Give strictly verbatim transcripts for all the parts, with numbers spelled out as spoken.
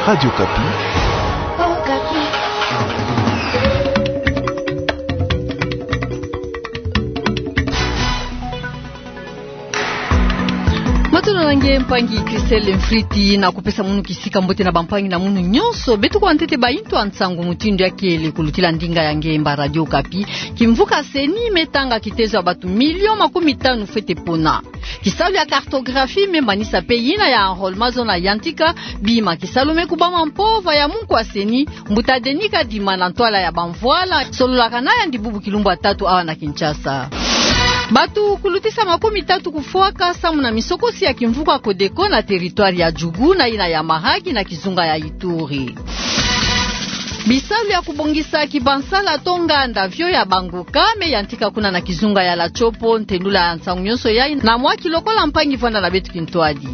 Radio Okapi. Matondo na nge mpangi Christelle Mfriti, na kupesa munu kisika mbote na bampangi na munu nyonso beto kuwa ntete ba intu ya nsangu mutindu ya kele kulutila ndinga ya ngemba Radio Okapi. Kimvuka CENI me tanga kitezo ya batu milio makumi tanu fwete pona. Kisalu ya cartographie me manisa pe yina ya enrôlement zona yantika bima. Kisalu me kubama mpova ya munkwa CENI, mbuta Denis Kadima, na ntwala ya bamvwala, sololaka na yandi bubu kilumbu ya tatu awa na Kinshasa. Batu kulutisa makumi tatu kufwaka samu na misokosi ya kimvuka Codeco na territoire ya Djugu na yina ya Mahagi na kizunga ya Ituri. Bisalu ya kubongisa kibansala to nganda vio ya banguka me yantika kuna na kizunga ya La Tshopo, ntendula ya nsangu nyonso yayi na mwa kilokola mpangi vwanda na beto kintwadi.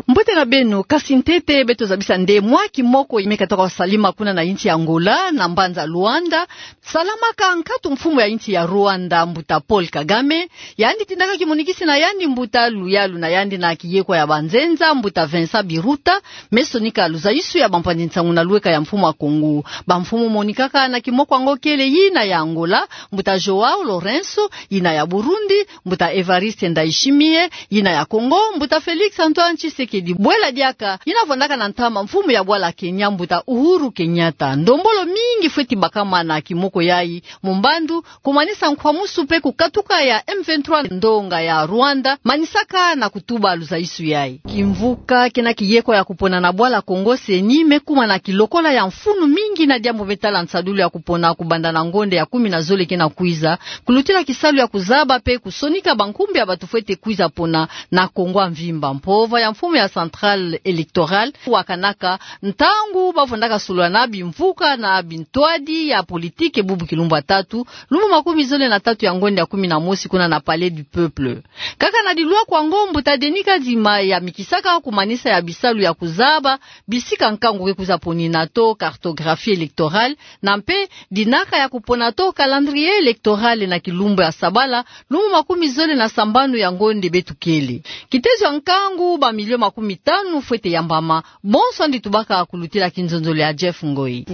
Mbote na beno, kasi ntete beto zabisa nde mwa kimoko me katoka salima kuna na insi ya Angola, na mbanza Luanda, salamaka nkatu mfumu ya insi ya Rwanda, mbuta Paul Kagame. Yandi tindaka kimonikisi na yandi mbuta luyalu na yandi na kiyekwa ya banzenza, mbuta Vincent Biruta, me sonika luzaisu ya bampanzi nsangu na lweka ya mfumu a Kongo. Bamfumu monikaka na kimoko yango kele yina ya Angola, mbuta João Lourenço, yina ya Burundi, mbuta Évariste Ndayishimiye, yina ya Congo, mbuta Félix Antoine Tshisekedi. Bwela diaka, yina vwandaka na ntama mfumu ya bwala Kenya, mbuta Uhuru Kenyatta. Ndombolo mingi fweti bakama na kimoko yayi, mu mbandu, kumanisa nkwamusu pe kukatuka ya M vingt-trois ndonga ya Rwanda, manisaka na kutuba luzaisu yayi. Kimvuka kena kiyekwa ya kupona na bwala Kongo CENI me kuma na kilokola ya mfunu mingi na diambu me tala nsadulu ya kupona kubanda na ngonde ya kumi na zole kena kwiza, kulutila kisalu ya kuzaba pe kusonika bankumbu ya batu fwete kwiza pona na Kongo ya mvimba. Mpova ya mfumu ya Centrale électorale wakanaka ntangu bavwandaka solola na bimvuka na bintwadi ya politike bubu kilumbu ya tatu, lumbu makumi zole na tatu ya ngonde ya kumi na mosi kuna na Palais du Peuple. Kaka na dilwaku yango, mbuta Denis Kadima yamikisaka kumanisa ya bisalu ya kuzaba bisika nkangu ke kwiza ponina to cartographie électorale, na mpe dinaka ya kupona to calendrier électoral na kilumbu ya sabala, lumbu makumi zole na sambanu ya ngonde beto kele. Kitezo ya nkangu, bamilio makumi tanu fwete yambama. Bonso yandi tubaka kulutila kinzonzolo ya Jeff Ngoi.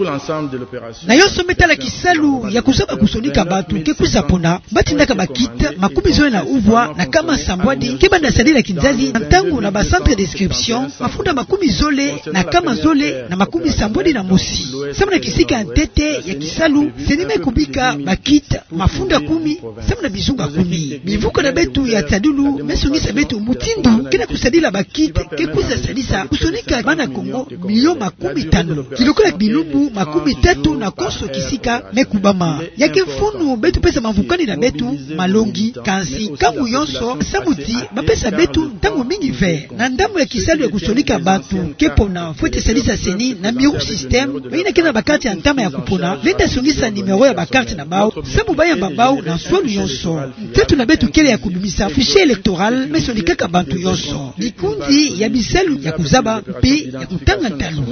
Na yonso me tala kisalu ya kuzaba kusonika bantu ke kwiza pona, batindaka ba kits makumi zole na uvwa na kama sambwadi ke banda sadila kinzazi na ntangu na ba centres d'inscription mafunda makumi zole na kama zole na makumi sambwadi na mosi. Samu na kisika ya ntete ya kisalu, CENI me kubika ba kits mafunda kumi samu na bizunga kumi. Bimvuka na beto ya nsadulu me songisa beto mutindu kena kusadila ba kits ke kwiza sadisa kusonika bana Kongo milio makumi tanu. Kilokola bilumbu makumi tatu na konso kisika me kubama. Ya ke mfunu beto pesa mavukani na beto malongi, kansi nkangu yonso samu ti bapesa beto ntangu mingi ve. Na ndambu ya kisalu ya kusonika bantu ke pona, fwete sadisa CENI na Miru système, yina kena ba cartes ya ntama ya kupona, venda songisa numéro ya ba cartes na bau, samu bayamba bau na nswalu yonso. Nteto na beto kele ya kubimisa fichier électoral me sonikaka bantu yonso. Bikunzi ya bisalu ya kuzaba mpe ya kutanga ntalu.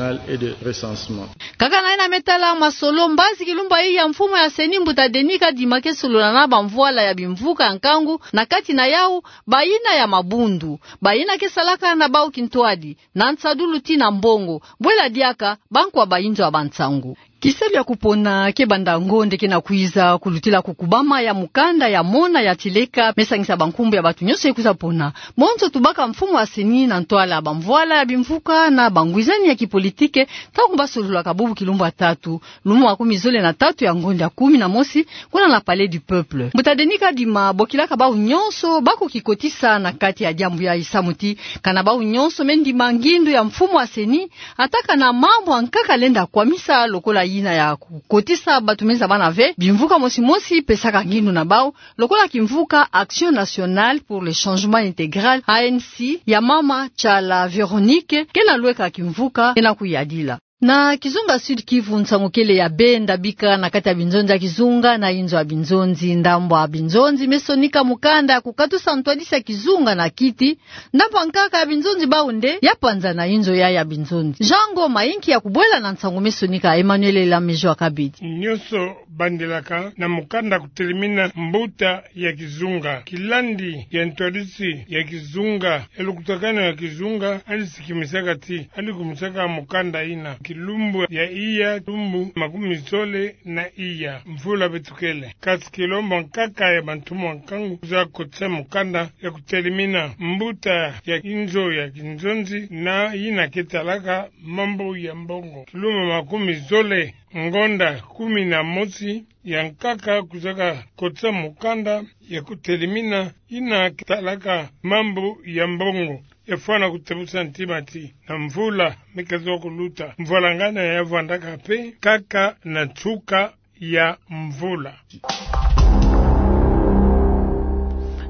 Kaka na yina me tala masolo, mbazi kilumbu yayi ya mfumu ya CENI, mbuta Denis Kadima, ke solola na bamvwala ya bimvuka ya nkangu, na kati na yau bayina ya mabundu, bayina ke salaka na bau kintwadi, na nsadulu tii na mbongo. Bwela diaka, bankwa bayinzo ya bansangu. Kisalu ya kupona ke banda ngonde kena kwiza kulutila kukubama ya mukanda ya mona ya tileka me sangisa bankumbu ya bantu nyonso ke kwiza pona. Bonso tubaka mfumu wa CENI na ntwala bamvwala ya bimvuka na bangwizani ya kipolitike, ntangu basololaka bubu kilumbu ya tatu, lumbu makumi zole na tatu ya ngonde ya kumi na mosi, kuna na Palais du Peuple. Mbuta Denis Kadima bokilaka bau nyonso ba kukikotisa na kati ya diambu yayi, samu ti kana bau nyonso me ndima ngindu ya mfumu wa CENI, ata kana mambu ya nkaka lenda kwamisa, lokola yina ya kukotisa bantu me zabana ve bimvuka mosi mosi pesaka ngindu na bau, lokola kimvuka Action Nationale pour le Changement Intégral, A N C, ya mama Tshala Véronique, kena lweka kimvuka kena kuyadila. Na kizunga Sud-Kivu, nsangu kele ya benda bika na kati ya binzonzi ya kizunga na inzo ya binzonzi. Ndambu ya binzonzi me sonika mukanda ya kukatusa ntwadisi ya kizunga na kiti. Ndambu ya nkaka ya binzonzi bau nde ya panza na inzo ya, ya binzonzi. Jean Ngoma, inki ya kubwela na nsangu me sonika Emmanuel Elamejo Akabidi. Nyonso bandilaka na mukanda kutelimina mbuta ya kizunga. Kilandi ya ntwadisi ya kizunga, elukutakanu ya kizunga, yandi sikimisaka ti, yandi kumisaka mukanda yina kilumbu ya iya, lumbu makumi zole na iya, mvula beto kele. Kasi kilombo nkaka ya bantu mwa nkangu kwiza kotisa mukanda ya kutelimina mbuta ya inzo ya kinzonzi na yina ke talaka mambu ya mbongo. Kilumbu makumi zole, ngonda kumi na mosi ya nkaka kwizaka kotisa mukanda ya kutelimina yina ke talaka mambu ya mbongo. Yafwana kutebusa ntima ti na mvula me kwiza kuluta, mvwalangana ya vwandaka mpe kaka na nsuka ya mvula.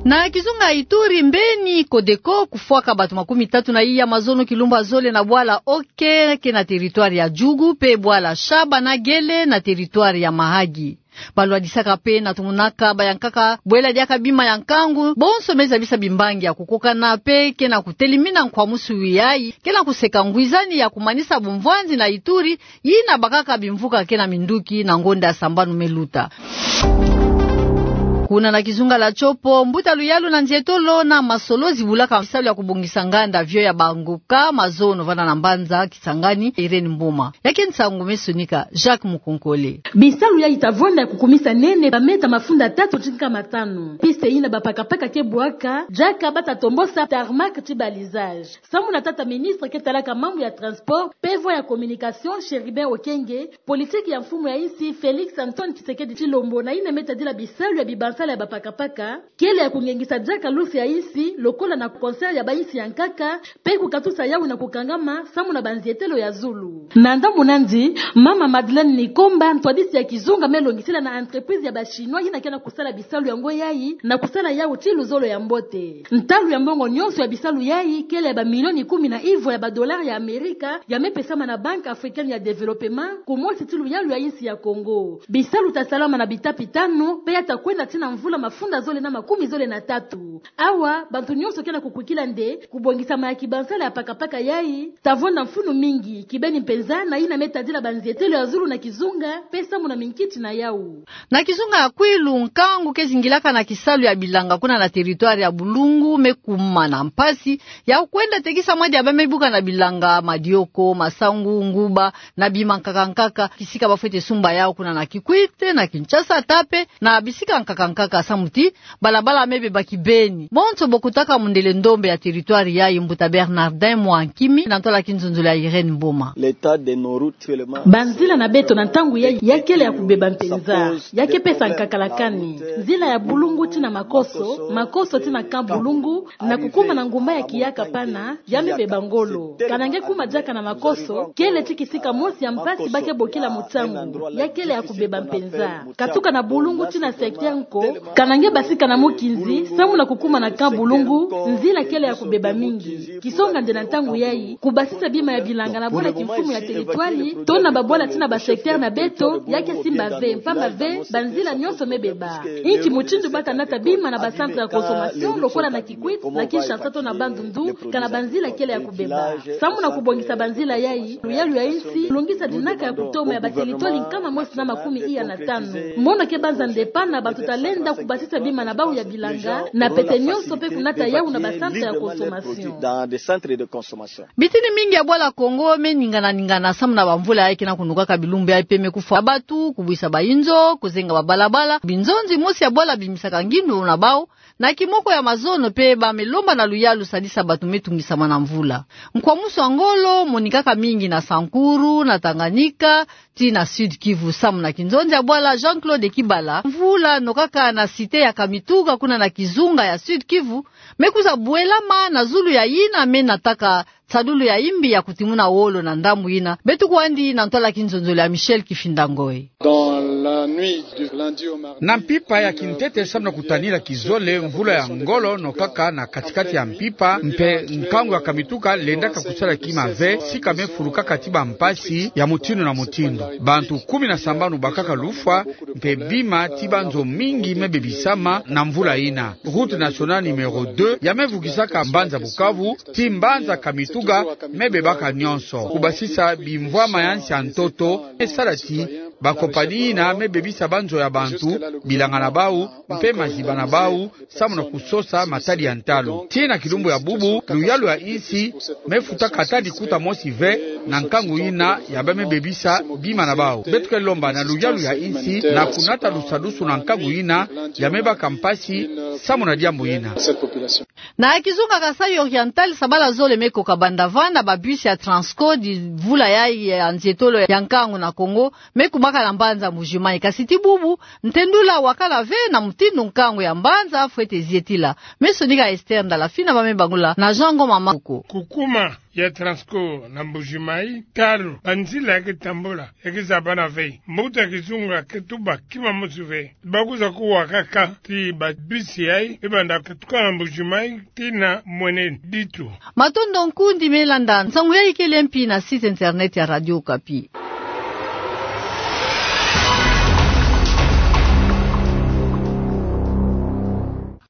Na kizunga Ituri, mbeni Codeco kufwaka bato makumi tatu na iya mazono kilumbu ya zole na bwala Oke, ke na territoire ya Djugu, mpe bwala Shaba na Gele na territoire ya Mahagi. Balwadisaka mpe na tumunaka bayankaka bwela diaka bima ya nkangu, bonso me zabisa bimbangi ya kukokana mpe ke na kutelimina nkwamusu yayi, ke na kuseka ngwizani ya kumanisa bumvwanzi na Ituri, yina bakaka bimvuka ke na minduki na ngonda ya sambanu me luta. Kuna na kizunga la Tshopo, mbuta luyalu na nzietolo na masolo zibulaka bisalu ya kubongisa nganda avion ya banguka mazono vanda na mbanza Kisangani, Irène Mboma. Ya ke nsangu me sonika Jacques Mukonkole. Bisalu yayi ta vwanda ya kukumisa nene ba mètre mafunda tatu ti nkama tanu. Piste yina bapakapaka ke bwaka, diaka bata tombosa tarmac ti balisage. Samu na tata ministre ke talaka mambu ya transport mpe voies ya communication, Chérubin Okenge, politique ya mfumu ya insi Félix Antoine Tshisekedi Tshilombo na yina me tadila bisalu ya bibansala ya bapakapaka, kele ya kungengisa diaka lusi ya insi, lokola na concert ya bainsi ya nkaka, mpe kukatusa yawu na kukangama samu na banzietelo ya zulu. Na ndambu nandi, mama Madeleine Nikomba, ntwadisi ya kizunga, me longisila na entreprise ya ba Chinois yina ke na kusala bisalu yango yayi, na kusala yawu ti luzolo ya mbote. Ntalu ya mbongo nyonso ya bisalu yayi kele ya bamilioni kumi na ivwa ya badollars ya Amerika, ya me pesama na Banque Africaine ya Développement, kumosi ti luyalu ya insi ya Congo. Bisalu ta salama na bitapi tanu, mpe ya ta kwenda tii na mvula mafunda zole na makumi zole na tatu. Awa, bantu nyonso ke na kukwikila nde kubongisama ya kibansala ya pakapaka yayi ta vwanda mfunu mingi, kibeni mpenza na yina me tadila banzietelo ya zulu na kizunga, mpe samu na minkiti na yawu. Na kizunga ya Kwilu, nkangu ke zingilaka na kisalu ya bilanga kuna na territoire ya Bulungu me kuma na mpasi ya kwenda tekisa mwa diaba me buka na bilanga, madioko, masangu, nguba, na bima nkaka nkaka, kisika bafwete sumba yawu kuna na Kikwit, na Kinshasa, ata mpe na bisika nkaka nkaka, samu ti balabala me beba kibeni. Bonso bokotaka mundele ndombe ya territoire yayi, mbuta Bernardin Mwankimi, na ntwala kinzonzolo ya Irène Mboma. L'état de nos routes actuellement. Banzila na beto na ntangu yayi ya kele ya kubeba mpenza, ya ke pesa nkakalakani. Nzila ya Bulungu tii na Makoso, Makoso tii na Camp Bulungu, na kukuma na ngumba ya Kiaka pana, ya me beba ngolo. Kana nge kuma diaka na Makoso, kele ti kisika mosi ya mpasi ba ke bokila mutangu, ya kele ya kubeba mpenza. Katuka na Bulungu tii na secteur Nko, kana nge basika na mukinzi, samu na kukuma na Camp Bulungu, nzila kele ya kubeba mingi. Kisonga nde na ntangu yayi, kubasisa bima ya bilanga na bwala kimfumu ya territoire, to na babwala tii na ba secteur na beto, ya ke simba ve, mpamba ve, banzila nyonso me beba. Inki mutindu ba ta nata bima na ba centre ya consommation, lokola na Kikwit, na Kinshasa to na Bandundu, kana banzila kele ya kubeba. Samu na kubongisa banzila yayi, luyalu ya insi lungisa dinaka ya kutoma ya ba territoire nkama mosi na makumi iya na tanu. Mono ke banza nde pana bantu ta lenda kubasisa bima na bawu ya bilanga, na pete nyonso mpe kunata yawu na ba centre ya consommation. Bitini mingi ya bwala Congo me ningana ningana samu na bamvula yayi ke na kunukaka bilumbu yayi, mpe me kufwa batu, kubwisa bayinzo, kuzenga babalabala. Binzonzi mosi ya bwala bimisaka ngindu na bawu na kimoko ya mazono, mpe ba me lomba na luyalu sadisa batu me tungisama na mvula. Nkwamusu ya ngolo monikaka mingi na Sankuru, na Tanganyika, tii na Sud-Kivu, samu na kinzonzi ya bwala Jean-Claude Kibala. Mvula nokaka na cité ya Kamituga kuna na kizunga ya Sud-Kivu me kwiza bwelama na zulu ya yina me nataka nsadulu ya imbi ya kutimuna wolo na ndambu ina. Beto kwandi na ntwala kinzonzolo ya Michel Kifinda Ngoi. Na mpimpa ya kintete samu na kutanila kizole, mvula ya ngolo nokaka na katikati ya mpimpa, mpe nkangu ya Kamituga lendaka kusala kima ve, sika me fulukaka ti bampasi ya mutindu na mutindu. Bantu kumi na sambanu bakaka lufwa, mpe bima ti banzo mingi me bebisama na mvula ina. Route nationale numéro deux ya me vukisaka mbanza Bukavu ti mbanza Kamituga me bebaka nyonso. Kubasisa bimvwama ya nsi ya ntoto me sala ti bakompani ina me bebisa banzo ya bantu, bilanga na bau, mpe maziba na bau, samu na kusosa matadi ya ntalu. Tii na kilumbu ya bubu, luyalu ya insi me futaka ata likuta mosi ve na nkangu ina ya ba me bebisa bima na bau. Beto ke lomba na luyalu ya insi na kunata lusadusu na nkangu ina ya me baka mpasi samu na diambu ina. Na kizunga Kasaï Oriental, sabala zole me koka banda vanda ba bus ya Transco ti mvula yayi ya nzietolo ya nkangu na Kongo me kumaka na mbanza Mbuji-Mayi. Kasi ti bubu, ntendula wakala ve na mutindu nkangu ya mbanza fwete zietila. Me sonika Esther Ndala Fina ba me bangula na Jean Ngoma Makuko. Kukuma ya Transco na Mbuji-Mayi, talo banzila ya ke tambula, ya ke zabana ve. Mbuta kizunga ke tuba kima mosi ve. Bakwiza kuwakaka ti ba bus yayi, e banda katuka na Mbuji-Mayi tii na Mweneditu. Matondo nkundi me landa nsangu yayi kele mpi na site internet ya Radio Okapi.